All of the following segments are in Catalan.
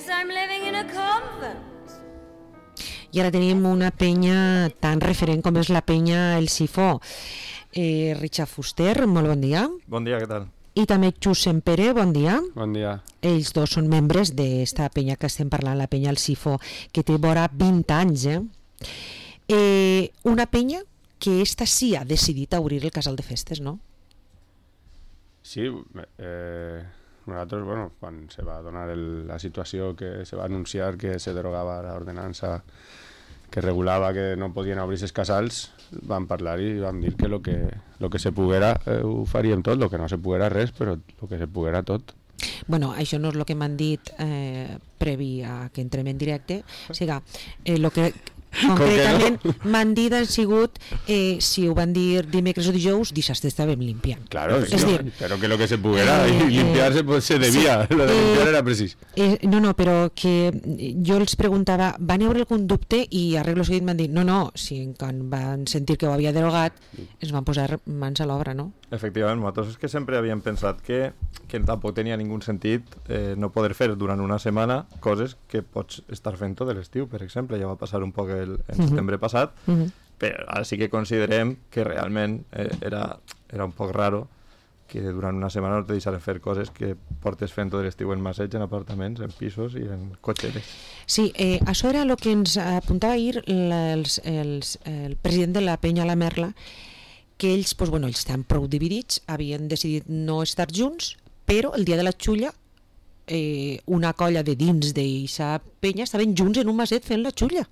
I'm living in a convent. I ara tenim una penya tan referent com és la penya El Sifó. Richard Fuster, molt bon dia. Bon dia, què tal? I també Josep Pere, bon dia. Bon dia. Ells dos són membres d'esta penya que estem parlant, la penya El Sifó, que té vora 20 anys. Una penya que esta sí ha decidit obrir el casal de festes, no? Sí, nosaltres, bueno, quan se va donar la situació que se va anunciar que se derogava l'ordenança que regulava que no podien obrir els casals, vam parlar i vam dir que lo que se poguera ho faríem tot, lo que no se poguera res, però lo que se poguera tot. Bueno, això no és el que m'han dit previ a que entrem en directe, o sigui, el que concretament m'han dit han sigut si ho van dir dimecres o dijous, dissabte estàvem limpiant. Claro, és dir, però que lo que se poguera i limpiar-se se devia, lo de limpiar era precís. No, però que jo els preguntava, van haver algun dubte i arreglo seguit m'han dit, no, si quan van sentir que ho havia derogat ens van posar mans a l'obra, no? Efectivament, nosaltres és que sempre havíem pensat que tampoc tenia ningú sentit no poder fer durant una setmana coses que pots estar fent tot l'estiu, per exemple, ja va passar un poc en setembre passat, però ara sí que considerem que realment era un poc raro que durant una setmana no te deixaren fer coses que portes fent tot l'estiu en masseig, en apartaments, en pisos i en cotxeres. Sí, això era el que ens apuntava ahir el president de la penya La Merla, que ells, doncs, bueno, ells estan prou dividits, havien decidit no estar junts, però el dia de la xulla una colla de dins d'eixa penya estaven junts en un maset fent la xulla,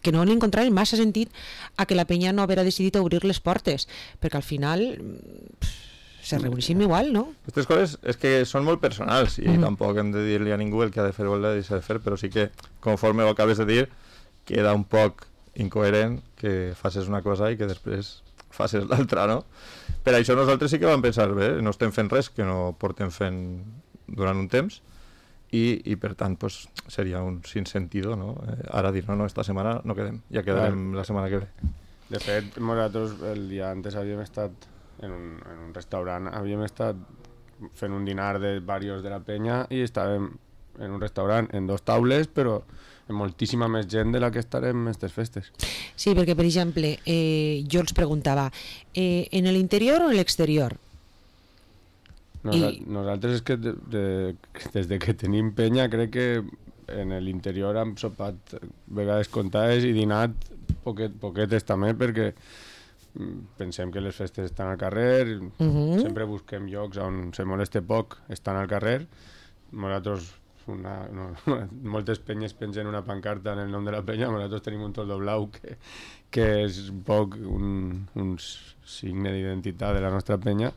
que no li encontraven massa sentit a que la penya no haguera decidit obrir les portes, perquè al final se reuneixin igual, no? Aquestes coses és que són molt personals i tampoc hem de dir-li a ningú el que ha de fer o el que ha de deixar de fer, però sí que, conforme ho acabes de dir, queda un poc incoherent que facis una cosa i que després facis l'altra, no? Per això nosaltres sí que vam pensar, bé, no estem fent res que no portem fent durant un temps i per tant pues, seria un sinsentido, no? Ara dir, no, esta setmana no quedem, ja quedarem la setmana que ve. De fet, nosaltres el dia antes havíem estat en un restaurant, havíem estat fent un dinar de varios de la penya i estàvem en un restaurant en 2 taules, però amb moltíssima més gent de la que estarem en aquestes festes. Sí, perquè, per exemple, jo els preguntava, en l'interior o en l'exterior? Nosaltres és que des de que tenim penya crec que en l'interior hem sopat vegades comptades i dinat poquetes també, perquè pensem que les festes estan al carrer, sempre busquem llocs on se moleste poc, estan al carrer. Nosaltres moltes penyes pengen una pancarta en el nom de la penya, nosaltres tenim un toldo blau que és un poc un signe d'identitat de la nostra penya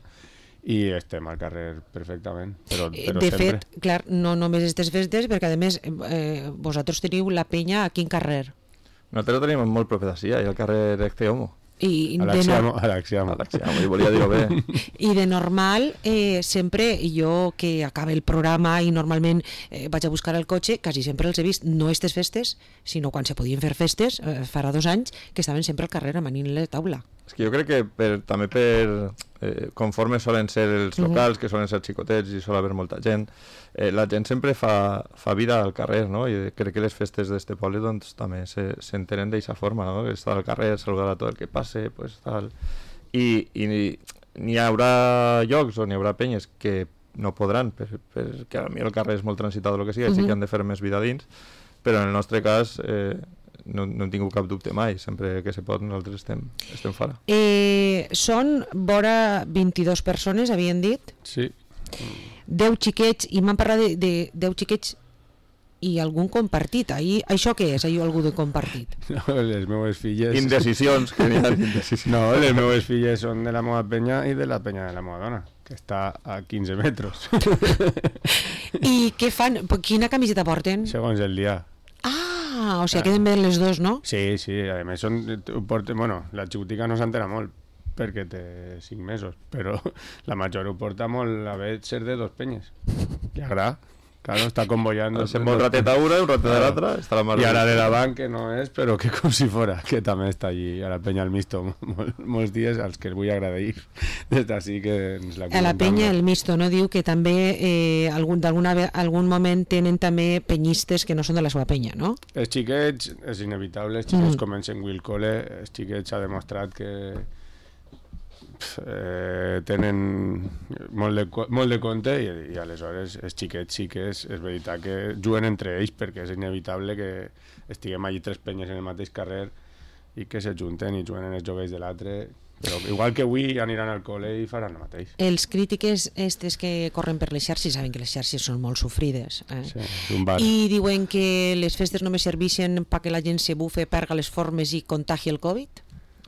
i estem al carrer perfectament, però de sempre. fet, clar, no només aquestes festes, perquè a més vosaltres teniu la penya a quin carrer? Nosaltres ho tenim molt proper d'ací, al carrer Ecce Homo. A l'Axiamo. I volia dir-ho bé. I de normal, sempre jo que acaba el programa i normalment vaig a buscar el cotxe, quasi sempre els he vist, no aquestes festes, sinó quan se podien fer festes, farà 2 anys, que estaven sempre al carrer amanint la taula. És que jo crec que també conforme solen ser els locals, que solen ser xicotets i sol haver molta gent, la gent sempre fa vida al carrer, no? I crec que les festes d'este poble doncs, també s'entenen d'aquesta forma, no? Estar al carrer, saludar a tot el que passe, pues, tal. I n'hi haurà llocs on hi haurà penyes que no podran, perquè a mi el carrer és molt transitat o el que sigui, així que han de fer més vida dins, però en el nostre cas no hem tingut cap dubte mai, sempre que se pot nosaltres estem fora. Són vora 22 persones, havien dit? Sí. 10 xiquets, i m'han parlat de 10 xiquets i algun compartit. Això què és, algú de compartit? No, les meues filles... Indecisions, que n'hi ha indecisions. No, les meues filles són de la meva penya i de la penya de la meva dona, que està a 15 metres. I què fan? Quina camiseta porten? Segons el dia. O sigui, queden bé les dos, no? Sí, a més la xicotica no s'entera molt perquè té 5 mesos, però la major ho porta molt a haver ser de 2 penyes. Li agrada. Claro, está convoyando. Hacemos un ratet a una, un ratet a l'altra, està la mar. I ara de davant, que no és, però que com si fora, que també està allí a la penya al Misto molts dies, als que els vull agrair des d'ací que ens la A la penya el Misto, no? Diu que també algun moment tenen també penyistes que no són de la seva penya, no? Els xiquets, és inevitable, els xiquets comencen Will Cole, els xiquets ha demostrat que tenen molt de compte i aleshores els xiquets sí que és veritat que juguen entre ells perquè és inevitable que estiguem allí tres penyes en el mateix carrer i que s'ajunten i juguen en els joves de l'altre, però igual que avui aniran al col·le i faran el mateix. Els crítiques estes que corren per les xarxes saben que les xarxes són molt sofrides, Sí, és un bar. i diuen que les festes només serveixen perquè la gent se bufe, perga les formes i contagi el Covid.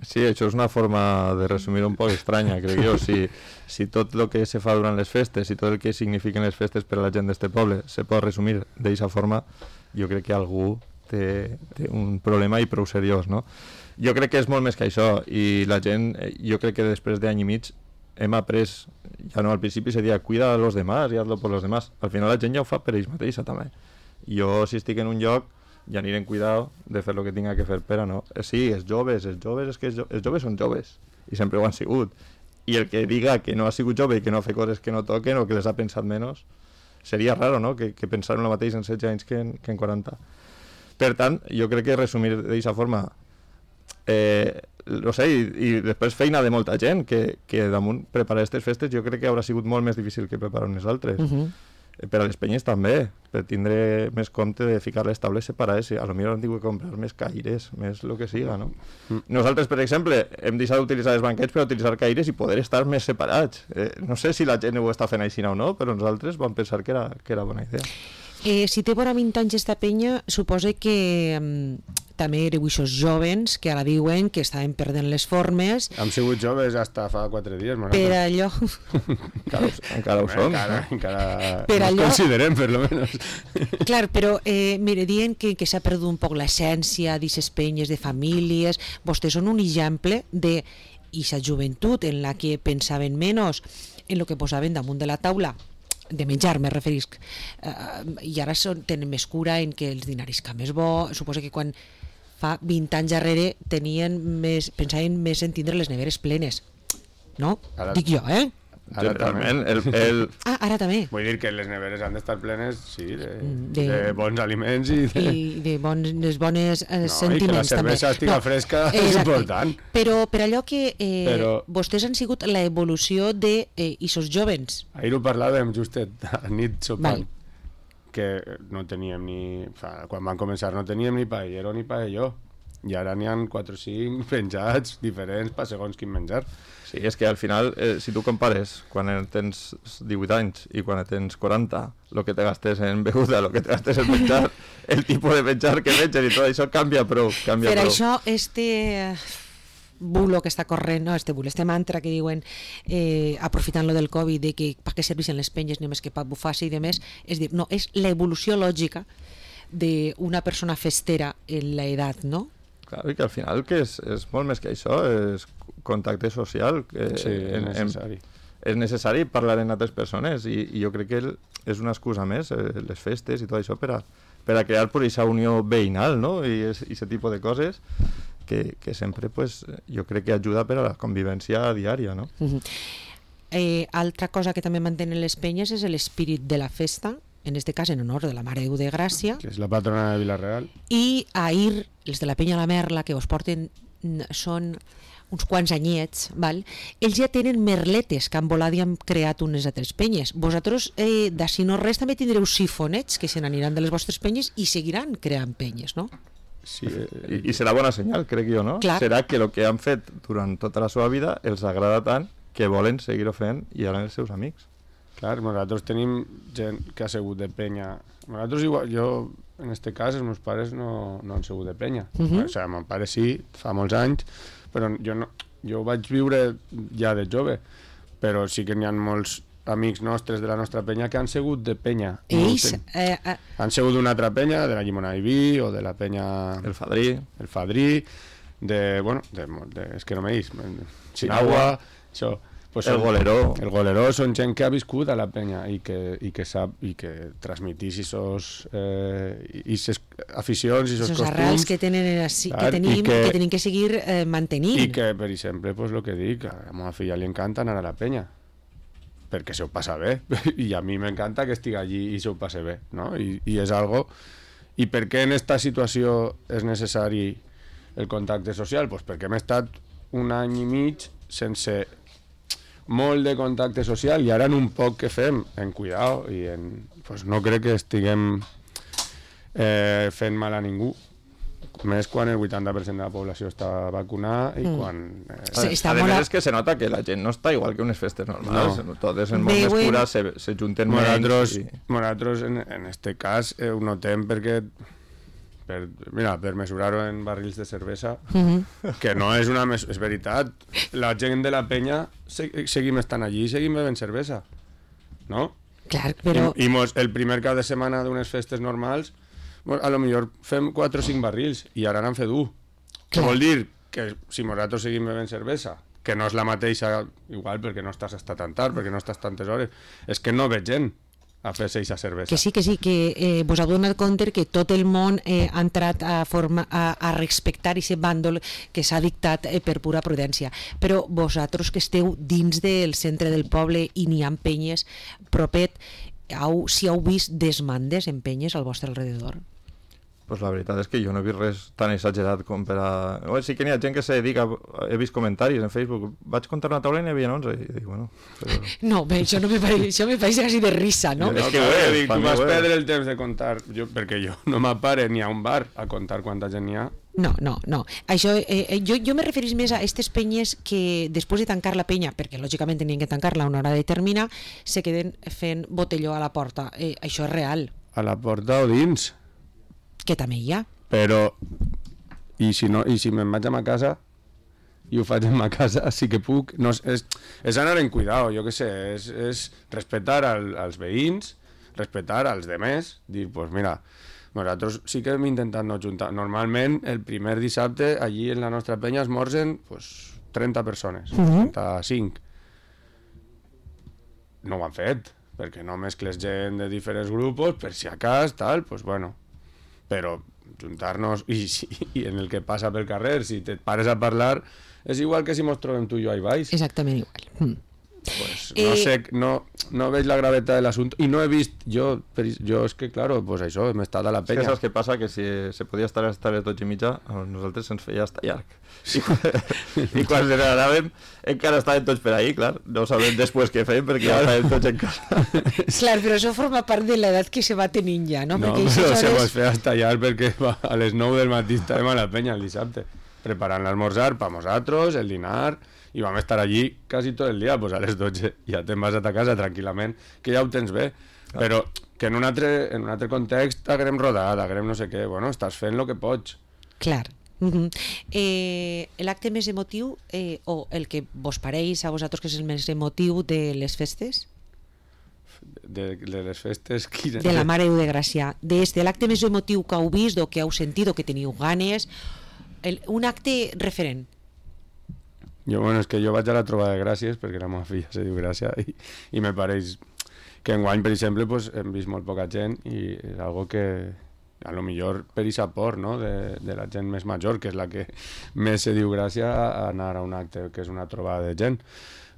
Sí, això és una forma de resumir un poc estranya, crec jo. Si tot el que se fa durant les festes i tot el que signifiquen les festes per a la gent d'este poble se pot resumir d'aquesta forma, jo crec que algú té un problema i prou seriós, no? Jo crec que és molt més que això, i la gent, jo crec que després d'any i mig hem après, ja no al principi se deia cuida a los demás i hazlo por los demás, al final la gent ja ho fa per ells mateixa també. Jo si estic en un lloc ja aniré en cuidado de fer el que tinga que fer per a no. Sí, els joves, és que els joves són joves i sempre ho han sigut, i el que diga que no ha sigut jove i que no ha fet coses que no toquen o que les ha pensat menys seria raro, no? Que pensar en el mateix en 16 anys que en 40. Per tant, jo crec que resumir d'aquesta forma no sé, i després feina de molta gent que damunt preparar aquestes festes jo crec que haurà sigut molt més difícil que preparar unes altres. Per a les penyes també, per tindre més compte de ficar les taules separades, a lo millor han tingut que comprar més caires, més el que siga, no? Nosaltres, per exemple, hem deixat d'utilitzar els banquets per utilitzar caires i poder estar més separats. No sé si la gent ho està fent així o no, però nosaltres vam pensar que era bona idea. Si té vora 20 anys esta penya, suposa que també éreu eixos jovens que ara diuen que estaven perdent les formes. Hem sigut joves hasta fa 4 dies. Per allò... Encara ho som. Encara per ens allò... considerem, per lo menos. Clar, però mire, diuen que s'ha perdut un poc l'essència d'aquestes penyes de famílies. Vostès són un exemple de aquesta joventut en la que pensaven menys en el que posaven damunt de la taula de menjar, me referisc, i ara tenen més cura en que els dinarisca més bo. Suposo que quan fa 20 anys darrere pensaven més en tindre les neveres plenes, no? Ara, dic jo, Generalment, ara també. Vull dir que les neveres han d'estar plenes, sí, de bons aliments i de bones sentiments i que la cervesa estiga fresca és important. Però per allò que vostès han sigut la evolució d'ixos jovens. Ahir ho parlàvem justet a nit sopant, que no teníem quan van començar no teníem ni paellero ni paelló, i ara n'hi ha 4 o 5 penjats diferents per segons quin menjar. Sí, és que al final, si tu compares quan tens 18 anys i quan tens 40, el que te gastes en beguda, el que te gastes en menjar, el tipus de menjar que menges i tot això canvia prou. Per això bulo que està corrent, este mantra que diuen aprofitant-lo del Covid de que per què serveixen les penyes només que per bufar-se i demés, és dir, no, és l'evolució lògica d'una persona festera en l'edat, no? Clar, i que al final que és molt més que això, és contacte social, que sí, és necessari. És necessari parlar amb altres persones i jo crec que és una excusa més, les festes i tot això per a crear per aquesta unió veïnal, no? I aquest tipus de coses que sempre pues, jo crec que ajuda per a la convivència diària, no? Altra cosa que també mantenen les penyes és l'espírit de la festa, en este cas en honor de la Mare Déu de Gràcia, que és la patrona de Vila-real, i ahir els de la penya La Merla, que vos porten són uns quants anyets, val? Ells ja tenen merletes que han volat i han creat unes altres penyes. Vosaltres, d'ací no res, també tindreu sifonets que se n'aniran de les vostres penyes i seguiran creant penyes, no? Sí, i serà bona senyal, crec jo, no? Clar. Serà que el que han fet durant tota la seva vida els agrada tant que volen seguir-ho fent i ara els seus amics. Clar, nosaltres tenim gent que ha sigut de penya. Nosaltres igual, jo, en este cas, els meus pares no han sigut de penya. O sigui, mon pare sí, fa molts anys, però jo vaig viure ja de jove, però sí que n'hi ha molts amics nostres de la nostra penya que han sigut de penya. Ells... Han sigut d'una altra penya, de la Llimona i Vi, o de la penya... El Fadrí. El Fadrí, és que no me dis, Sinagua, això... pues el goleró. El goleró són gent que ha viscut a la penya i que sap i que transmetís esos aficions i esos costums. Arrels que tenim que seguir mantenint. I que, per exemple, pues, el que dic, a la meva filla li encanta anar a la penya, perquè se ho passa bé, i a mi m'encanta que estigui allí i se ho passe bé, no? I és algo... I per què en esta situació és necessari el contacte social? Pues perquè hem estat un any i mig sense molt de contacte social i ara en un poc que fem en cuidado i pues no crec que estiguem fent mal a ningú, més quan el 80% de la població està vacunada i quan... a més és que se nota que la gent no està igual que unes festes normals, totes en molt més cures se junten menys. Nosaltres en este cas ho notem perquè per mesurar-ho en barrils de cervesa, que no és una és veritat, la gent de la penya seguim estant allí i seguim bevent cervesa, no? Clar, però... I el primer cap de setmana d'unes festes normals a lo millor fem 4 o 5 barrils i ara n'han fet 1. Què vol dir? Que si nosaltres seguim bevent cervesa, que no és la mateixa, igual perquè no estàs hasta tan tard, perquè no estàs tantes hores, és que no veig gent a fer-se aquesta cervesa. Que sí, que vos heu donat compte que tot el món ha entrat a respectar aquest bàndol que s'ha dictat per pura prudència. Però vosaltres que esteu dins del centre del poble i n'hi ha penyes propet, si heu vist desmandes en penyes al vostre alrededor? Pues la veritat és que jo no he vist res tan exagerat com per a... Sí que n'hi ha gent que se dedica... He vist comentaris en Facebook. Vaig comptar una taula i n'hi havia 11. I dic, bueno... Però... No, bé, això me pareix quasi de risa, no? És que dic, tu vas perdre el temps de comptar, perquè jo no m'apare ni a un bar a contar quanta gent n'hi ha. No. Això, jo me referís més a aquestes penyes que després de tancar la penya, perquè lògicament tenien que tancar-la a una hora determinada, se queden fent botelló a la porta. Això és real. A la porta o dins? Que també hi ha. Però, i si me'n vaig a ma casa i ho faig en ma casa, sí que puc. No, és anar en cuidado, jo què sé, és respectar als veïns, respectar als demés, dir, pues mira, nosaltres sí que hem intentat no juntar. Normalment, el primer dissabte, allí en la nostra penya esmorzen pues, 30 persones, 35. No ho han fet, perquè no mescles gent de diferents grups, per si a cas, tal, pues bueno. Però juntar-nos i en el que passa pel carrer, si te pares a parlar, és igual que si mos trobem tu i jo ahí baix. Exactament igual. Pues no sé, no veig la gravetat de l'assumpte i no he vist, jo és que claro, pues això, hem estat a la penya. És que saps què passa? Que si se podia estar hasta les 12:30, a nosaltres se'ns feia hasta llarg. I quan se n'anàvem encara estàvem tots per ahí, clar, no sabem després què fèiem perquè ja estàvem tots en casa. Clar, però això forma part de l'edat que se va tenint ja, no? No, però se mos feia hasta llarg perquè a les 9 del matí estàvem a la penya el dissabte, preparant l'esmorzar per nosaltres, el dinar... i vam estar allí quasi tot el dia, pues a les 12 ja te'n vas a ta casa tranquil·lament, que ja ho tens bé, però que en un altre context haguem rodat, haguem no sé què, bueno, estàs fent el que pots. Clar. L'acte més emotiu, o el que vos pareix a vosaltres que és el més emotiu de les festes? De les festes? De la Mare de Gràcia. De l'acte més emotiu que heu vist o que heu sentit o que teniu ganes, un acte referent. És que jo vaig a la trobada de Gràcies perquè la meva filla se diu Gràcia i me pareix que enguany, per exemple, pues, hem vist molt poca gent i és algo que a lo millor per aquesta por, no? de la gent més major, que és la que més se diu Gràcia, a anar a un acte que és una trobada de gent.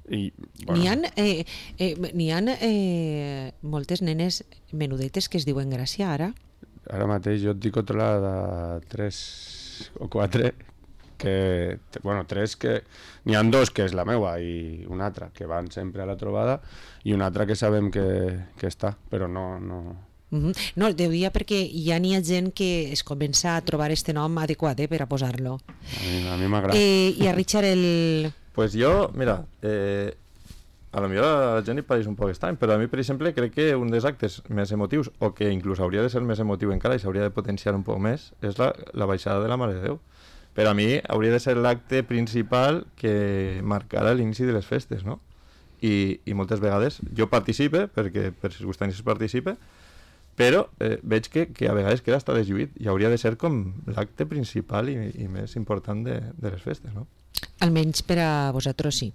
I, bueno. N'hi ha moltes nenes menudetes que es diuen Gràcia ara? Ara mateix jo et dic controlada 3 o 4 que, bueno, 3 que n'hi ha 2 que és la meua i una altra que van sempre a la trobada i una altra que sabem que està, però no... No, el deia perquè ja n'hi ha gent que es comença a trobar este nom adequat per a posar-lo. A mi m'agrada. I a Richard Pues jo, mira, a lo millor a la gent li pareix un poc estrany, però a mi, per exemple, crec que un dels actes més emotius, o que inclús hauria de ser més emotiu encara i s'hauria de potenciar un poc més, és la baixada de la Mare de Déu. Per a mi hauria de ser l'acte principal que marcara l'inici de les festes, no? I moltes vegades jo participe, perquè per circumstàncies participe, però veig que a vegades queda hasta deslluït i hauria de ser com l'acte principal i més important de les festes, no? Almenys per a vosaltres sí.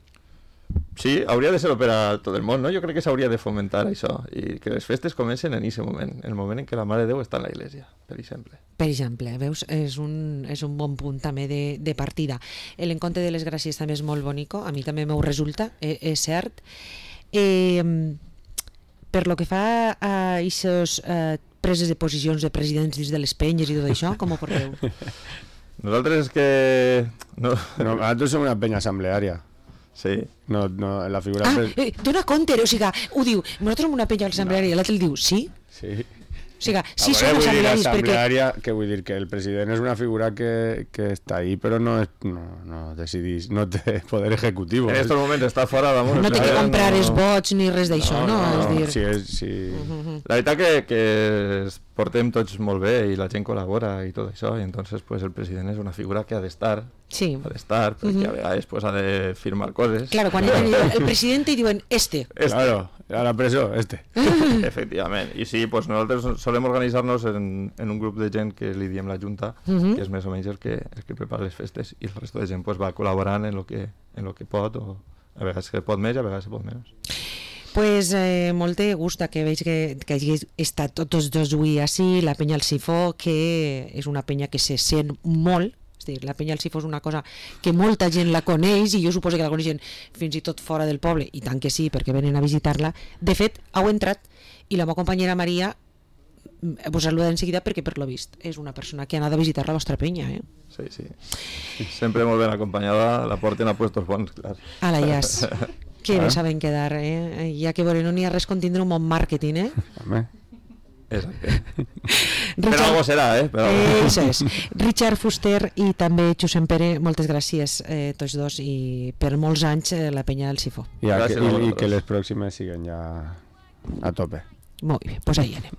Sí, hauria de ser per a tot el món, no? Jo crec que s'hauria de fomentar això i que les festes comencen en aquest moment, en el moment en què la Mare de Déu està en la iglesia, per exemple. Per exemple, veus, és un bon punt també de partida. L'encontre de les Gràcies també és molt bonico, a mi també m'ho resulta, és cert. Per lo que fa a aquestes preses de posicions de presidents dins de les penyes i tot això, com ho porteu? Nosaltres és que... No, nosaltres som una penya assembleària. Sí. No, la figura... Dona compte, o sigui, ho diu, nosaltres som una penya assembleària i l'altre el diu, sí? Sí. O sigui, sí som assemblearis perquè... Què vull dir? Que el president és una figura que està ahí, però no decidís, no té poder executiu. En aquests moments està fora damunt. No té que comprar els vots ni res d'això, no? És dir... Sí. La veritat que portem tots molt bé i la gent col·labora i tot això, i entonces pues, el president és una figura que ha d'estar, perquè a vegades pues, ha de firmar coses. Claro, quan el president i diuen Claro, a la presó, Efectivament. I sí, pues, nosaltres solem organitzar-nos en un grup de gent que li diem la Junta, que és més o menys el que prepara les festes, i el resto de gent pues, va col·laborant en lo que pot, o a vegades se pot més i a vegades se pot menys. Pues molt de gust que veig que hagi estat tots dos avui així, la penya al Sifó, que és una penya que se sent molt, és dir, la penya al Sifó és una cosa que molta gent la coneix i jo suposo que la coneixen fins i tot fora del poble, i tant que sí, perquè venen a visitar-la. De fet, heu entrat i la meva companyera Maria vos saluda en seguida perquè per lo vist és una persona que ha anat a visitar la vostra penya, Sí. Sempre molt ben acompanyada, la porten a puestos bons, clar. A la Ias. Que bé saben quedar, ja que no n'hi ha res con tindre un bon màrqueting, Home. Exacte. Per algo serà, Això és. Richard Fuster i també Josep Pere, moltes gràcies tots dos i per molts anys la penya del Sifó. I que les pròximes siguen ja a tope. Molt bé, doncs ahí anem.